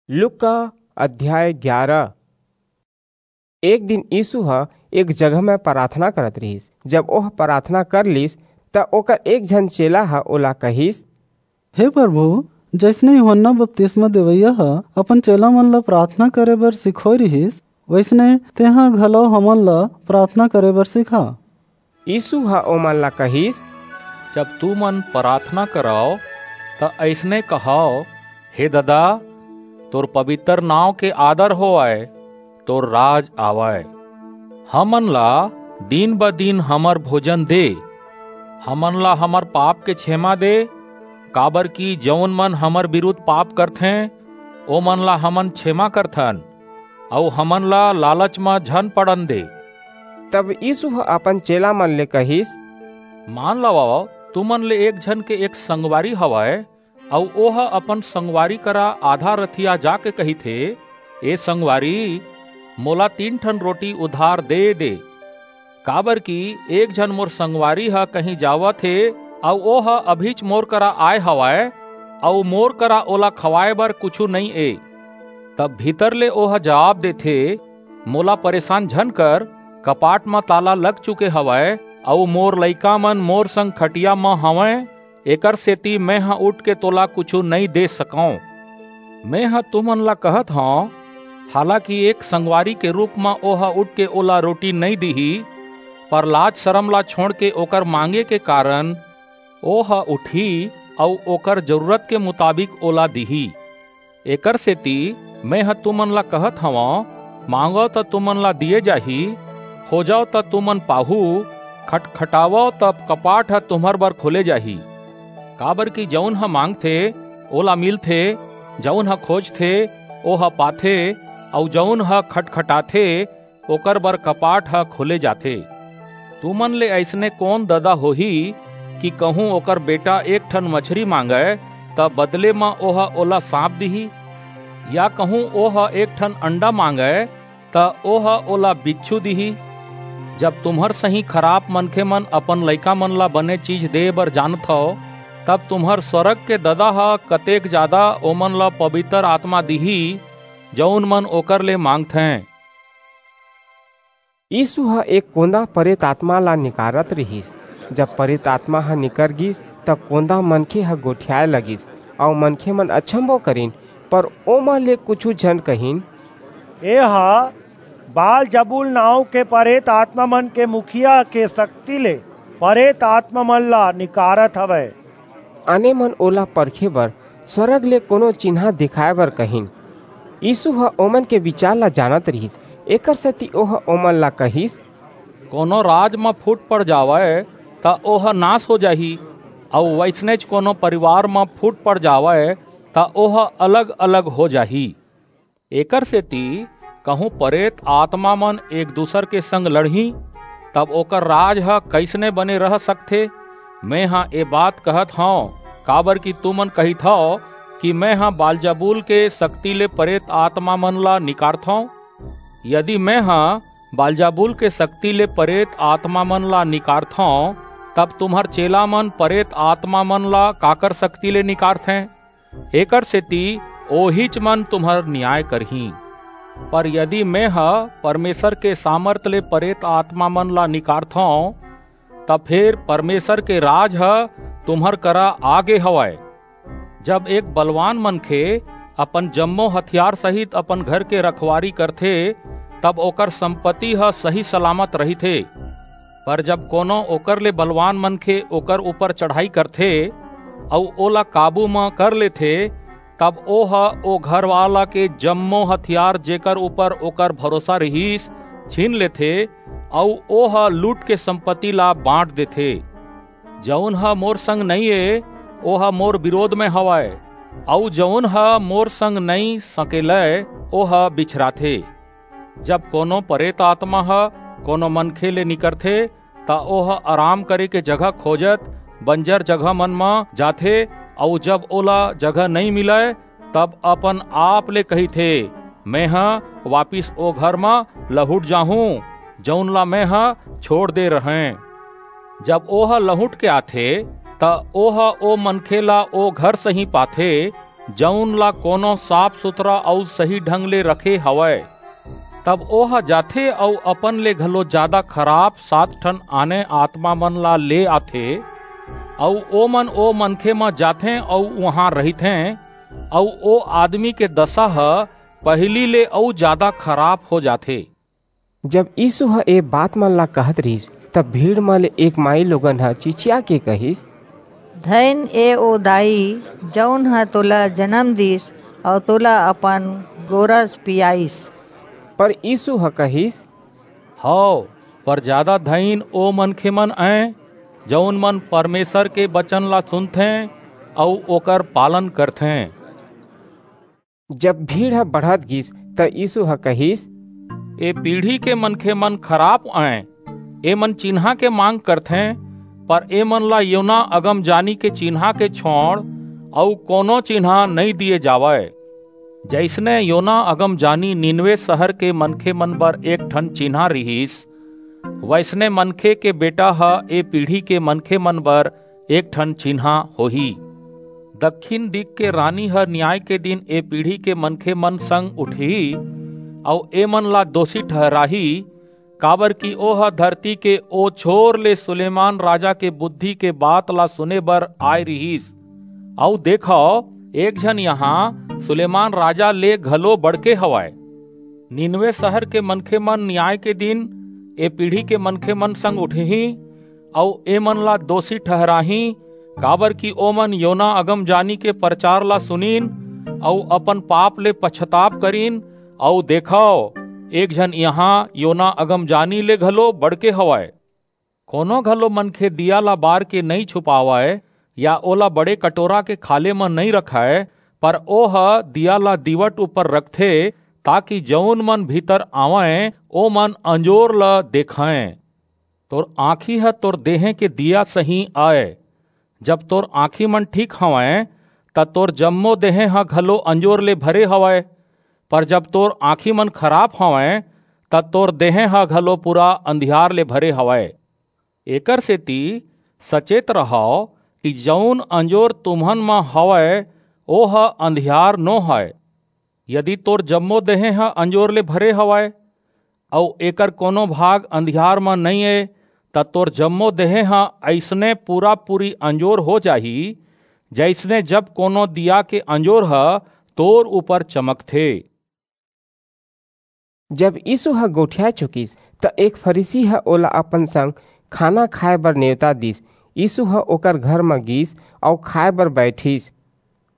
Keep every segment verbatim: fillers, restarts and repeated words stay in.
लूका अध्याय ग्यारह। एक दिन यीसू ह एक जगह म पराथना करत रिहिस। जब ओह पराथना कर लीस, त ओकर एक झन चेला ह ओला कहिस, "हे परभू, जइसने यूहन्ना बतिसमा देवइया ह अपन चेलामन ला पराथना करे बर सिखोय रिहिस, वइसने तेंह घलव हमन ला पराथना करे बर सिखा।" यीसू ह ओमन ला कहिस, "जब तुमन पराथना करव, त अइसने कहव, 'हे ददा, तोर पबितर नांव के आदर होवय, तोर राज आवय। हमन ला दिन-ब-दिन हमर भोजन दे। हमन ला हमर पाप के छेमा दे, काबरकि जऊन मन हमर बिरुद्ध पाप करथें, ओमन ला हमन छेमा करथन, अऊ हमन ला लालच म झन पड़न दे।" तब यीसू ह अपन चेलामन ले कहिस, "मान लवव, तुमन ले एक झन के एक संगवारी हवय, अऊ ओह अपन संगवारी करा आधा रतिहा जाके कहिथे, 'ए संगवारी, मोला तीन ठन रोटी उधार दे दे, काबरकि एक झन मोर संगवारी ह कहीं जावत हे, अऊ ओह अभीच मोर करा आय हवय, अऊ मोर करा ओला खवाय बर कुछू नइं ए।' तब भीतर ले ओह जबाब देथे, 'मोला परेसान झन कर, कपाट म ताला लग चुके हवय, अऊ मोर लइकामन मोर संग खटिया म हवंय, एकरसेति मेंह उठके तोला कुछू नइं दे सकंव।' मेंह तुमन ला कहत हंव, हालाकि एक संगवारी के रूप म ओह उठके ओला रोटी नइं दिही, पर लाज-सरम ला छोंड़के ओकर मांगे के कारन ओह उठही अऊ ओकर जरूरत के मुताबिक ओला दिही। एकरसेति मेंह तुमन ला कहत हंव, मांगव, त तुमन ला दिये जाही, खोजव, त तुमन पाहू, खटखटावव, त कपाट ह तुम्हर बर खोले जाही। काबरकि जऊन ह मांगथे, ओला मिलथे, जऊन ह खोजथे, ओह पाथे, अऊ जऊन ह खटखटाथे, ओकर बर कपाट ह खोले जाथे। तुमन ले अइसने कोन ददा होही कि कहूं ओकर बेटा एक ठन मछरी मांगय, त बदले म ओह ओला सांप दिही? या कहूं ओह एक ठन अंडा मांगय, त ओह ओला बिच्छू दिही? जब तुम्हर सहीं खराप मनखेमन अपन लइकामन ला बने चीज देय बर जानथव, तब तुम्हर स्‍वरग के ददा ह कतेक जादा ओमन ला पबितर आतमा दिही, जऊन मन ओकर ले मांगथें। यीसू ह एक कोंदा परेत आतमा ला निकारत रिहिस। जब परेत आतमा ह निकर गीस, त कोंदा मनखे ह गोठियाय लगिस, अऊ मनखेमन अचम्भो करिन, पर ओमा ले कुछू झन कहिन, "एह बालजबूल नांव के परेत आतमामन के मुखिया के सक्ति ले परेत आतमामन ला निकारत हवय।" आने मन ओला परखे बर स्वरग ले कोनो चिन्हां देखाय बर कहिन। यीसू ह ओमन के बिचार ला जानत रिहिस, एकरसेति ओह ओमन ला कहिस, "कोनो राज म फूट पड़ जावय, त ओह नास हो जाही, अऊ वइसनेच कोनो परिवार म फूट पड़ जावय, त ओह अलग-अलग हो जाही। एकरसेति कहूं परेत आतमामन एक-दूसर के संग लड़हीं, तब ओकर राज ह कइसने बने रह सकथे? मेंह ए बात कहत हंव, काबरकि तुमन कहिथव कि मेंह बालजबूल के सक्ति ले परेत आतमामन ला निकारथंव। यदि मेंह बालजबूल के सक्ति ले परेत आतमामन ला निकारथंव, तब तुम्हर चेलामन परेत आतमामन ला काकर सक्ति ले निकारथें? एकरसेति ओहीच मन तुम्हर नियाय करहीं। पर यदि मेंह परमेसर के सामरथ ले परेत आतमामन ला निकारथंव, त फेर परमेसर के राज ह तुम्हर करा आ गे हवय। जब एक बलवान मनखे अपन जम्मो हथियार सहित अपन घर के रखवारी करथे, तब ओकर संपत्ति ह सही-सलामत रहिथे। पर जब कोनो ओकर ले बलवान मनखे ओकर ऊपर चढ़ाई करथे अऊ ओला काबू म कर लेथे, तब ओह ओ घरवाला के जम्मो हथियार, जेकर ऊपर ओकर भरोसा रिहिस, छीन लेथे अऊ ओह लूट के संपत्ति ला बांट देथे। जऊन ह मोर संग नइं ए, ओह मोर बिरोध म हवय, अऊ जऊन ह मोर संग नइं सकेलय, ओह बिछराथे। जब कोनो परेत आतमा ह कोनो मनखे ले निकरथे, त ओह अराम करे के जगह खोजत बंजर जगहमन म जाथे, अऊ जब ओला जगह नइं मिलय, तब अपन आप ले कहिथे, "मेंह वापिस ओ घर म लहुट जाहूं, जऊन ला मेंह छोंड़ दे रहेंव।" जब ओह लहुट के आथे, त ओह ओ मनखे ला ओ घर सहीं पाथे, जऊन ला कोनो साफ सुथरा अऊ सही ढंग ले रखे हवय। तब ओह जाथे अऊ अपन ले घलो जादा खराप सात ठन आने आतमा मन ला ले आथे, अऊ ओमन ओ मनखे म जाथें अऊ उहां रहिथें, अऊ ओ आदमी के दसा ह पहिली ले अऊ जादा खराप हो जाथे। जब यीसू ह ए बात मन ला कहत रिहिस, तब भीड़ म ले एक माईलोगन ह चिचिया के कहिस, धइन ए ओ दाई, जऊन ह तोला जनम दीस अऊ तोला अपन गोरस पियाईस। पर यीसू ह कहिस, हव, पर जादा धइन ओ मनखेमन अंय, जऊन मन परमेसर के बचन ला सुनथें अऊ ओकर पालन करथें। जब भीड़ ह बढ़त गीस, त यीसू ह कहिस, ए पीढ़ी के मनखेमन खराप अंय। एमन चिन्हां के मांग करथें, पर एमन ला योना अगमजानी के चिन्हां के छोंड़ अऊ कोनो चिन्हां नइं दिये जावय। जइसने योना अगमजानी नीनवे सहर के मनखेमन बर एक ठन चिन्हां रिहिस, वइसने मनखे के बेटा ह ए पीढ़ी के मनखेमन बर एक ठन चिन्हां होही। दक्खिन दिग के रानी ह नियाय के दिन ए पीढ़ी के मनखेमन संग उठही, अऊ एमन ला दोसी ठहराही, काबरकि ओह धरती के ओ छोर ले सुलेमान राजा के बुद्धि के बात ला सुने बर आय रिहिस। अऊ देखव, एक झन इहां सुलेमान राजा ले घलो बढ़के हवय। नीनवे सहर के मनखेमन नियाय के दिन ए पीढ़ी के मनखेमन संग उठहीं, अऊ एमन ला दोसी ठहराहीं, काबरकि ओमन योना अगमजानी के परचार ला सुनिन, अऊ अपन पाप ले पछताप करिन, अऊ देखव, एक झन इहां योना अगमजानी ले घलो बढ़के हवय। कोनो घलो मनखे दीया ला बार के नइं छुपावय, या ओला बड़े कटोरा के खाल्हे म नइं रखय, पर ओह दीया ला दीवट ऊपर रखथे, ताकि जऊन मन भीतर आवंय, ओमन अंजोर ला देखंय। तोर आंखी ह तोर देहें के दीया सहीं अय। जब तोर आंखी मन ठीक हवंय, त तोर जम्मो देहें ह घलो अंजोर ले भरे हवय, पर जब तोर आंखी मन खराप हवंय, त तोर देहें ह घलो पूरा अंधियार ले भरे हवय। एकरसेति सचेत रहव कि जऊन अंजोर तुम्हन म हवय, ओह अंधियार नो हय। यदि तोर जम्मो देहें ह अंजोर ले भरे हवय, अऊ एकर कोनो भाग अंधियार म नइं ए, त तोर जम्मो देहें ह अइसने पूरा-पूरी अंजोर हो जाही, जइसने जब कोनो दीया के अंजोर ह तोर ऊपर चमकथे। जब यीसू ह गोठिया चुकिस, त एक फरीसी ह ओला अपन संग खाना खाय बर नेवता दीस। यीसू ह ओकर घर म गीस अऊ खाय बर बईठिस।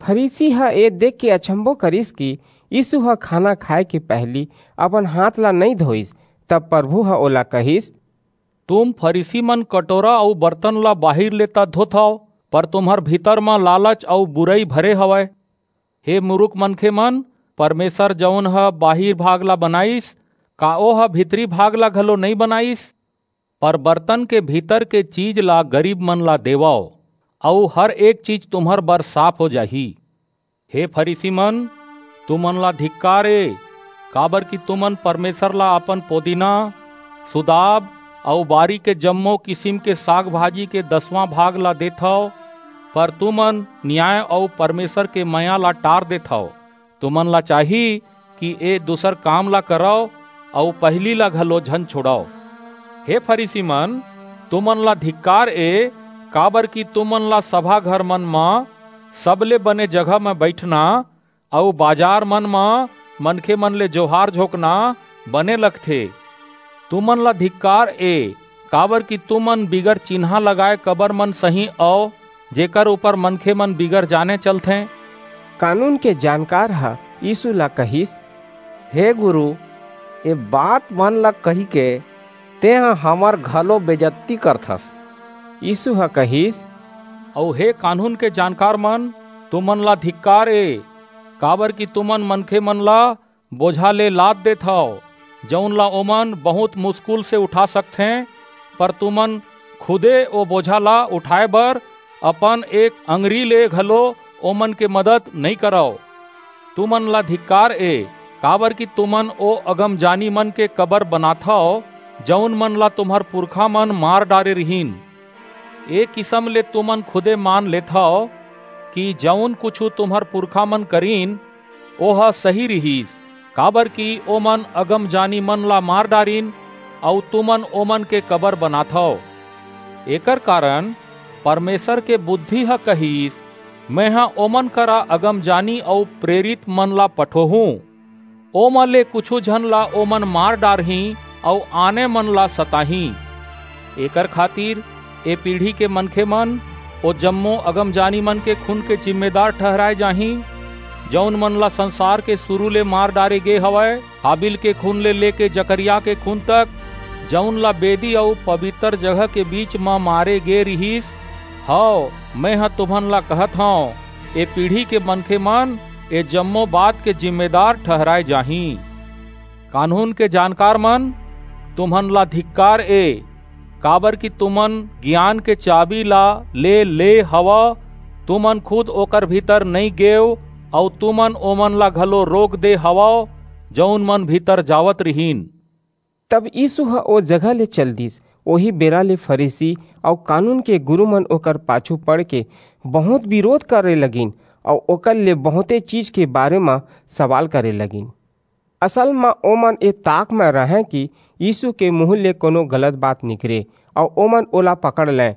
फरीसी ह ए देखके अचम्भो करिस कि यीसू ह खाना खाय के पहिली अपन हांथ ला नइं धोईस। तब परभू ह ओला कहिस, तुम फरीसीमन कटोरा अऊ बरतन ला बाहिर ले त धोथव, पर तुम्हर भीतर म लालच अऊ बुरई भरे हवय। हे मुरुख मनखेमन, परमेसर जऊन ह बाहिर भाग ला बनाईस, का ओह भीतरी भाग ला घलो नइं बनाईस? पर बरतन के भीतर के चीज ला गरीबमन ला देवव, अऊ हर एक चीज तुम्हर बर साफ हो जाही। हे फरीसीमन, तुमन ला धिक्कार ए, काबरकि तुमन परमेसर ला अपन पोदीना, सुदाब अऊ बारी के जम्मो किसिम के साग-भाजी के दसवां भाग ला देथव, पर तुमन नियाय अऊ परमेसर के मया ला टार देथव। तुमन ला चाही कि ए दूसर काम ला करव अऊ पहिली ला घलो झन छोंड़व। हे फरीसीमन, तुमन ला धिक्कार ए, काबरकि तुमन ला सभा घरमन म सबले बने जगह म बईठना अऊ बजारमन म मनखेमन ले जोहार झोंकना बने लगथे। तुमन ला धिक्कार ए, काबरकि तुमन बिगर चिन्हां लगाय कबरमन सहीं अव, जेकर ऊपर मनखेमन बिगर जाने चलथें। कानून के जानकार ह यीसू ला कहिस, हे गुरू, ए बातमन ला कहिके तेंह हमर घलो बेजत्ती करथस। यीसू ह कहिस, अऊ हे कानून के जानकारमन, तुमन ला धिक्कार ए, काबरकि तुमन मनखेमन ला बोझा ले लाद देथव, जऊन ला ओमन बहुंत मुसकुल से उठा सकथें, पर तुमन खुदे ओ बोझा ला उठाय बर अपन एक अंगरी ले घलो ओमन के मदद नइं करव। तुमन ला धिक्कार ए, काबरकि तुमन ओ अगमजानीमन के कबर बनाथव, जऊन मन ला तुम्हर पुरखामन मार डारे रिहिन। ए किसम ले तुमन खुदे मान लेथव कि जऊन कुछू तुम्हर पुरखा मन करिन, ओह सही रिहिस, काबरकि ओमन अगमजानी मन ला मार डारिन, अऊ तुमन ओमन के कबर बनाथव। एकर कारन परमेसर के बुद्धि ह कहिस, मेंह ओमन करा अगमजानी अऊ प्रेरित मन ला पठोहूं। ओमा ले कुछू झन ला ओमन मार डारहीं अऊ आने मन ला सताहीं। एकर खातिर ए पीढ़ी के मनखे मन ओ जम्मो अगमजानी मन के खून के जिम्मेदार ठहराय जाहीं, जऊन मन ला संसार के सुरू ले मार डारे गे हवय, हाबिल के खून ले लेके जकरयाह के खून तक, जऊन ला बेदी अऊ पबितर जगह के बीच म मारे गे रिहिस। हव, मेंह तुमन ला कहत हंव, ए पीढ़ी के मनखे मन ए जम्मो बात के जिम्मेदार ठहराय जाहीं। कानून के जानकार मन, तुमन ला धिक्कार ए, काबरकि तुमन गियान के चाबी ला ले ले हवव। तुमन खुद ओकर भीतर नइं गेव, अऊ तुमन ओमन ला घलो रोक दे हवव, जऊन मन भीतर जावत रिहिन। तब यीसू ह ओ जगह ले चल दीस। ओही बेरा ले फरीसी अऊ कानून के गुरू मन ओकर पाछू पड़के बहुंत बिरोध करे लगिन अऊ ओकर ले बहुंते चीज के बारे म सवाल करे लगिन। असल म ओमन ए ताक म रहंय कि यीसू के मुहूं ले कोनो गलत बात निकरे अऊ ओमन ओला पकड़ लंय,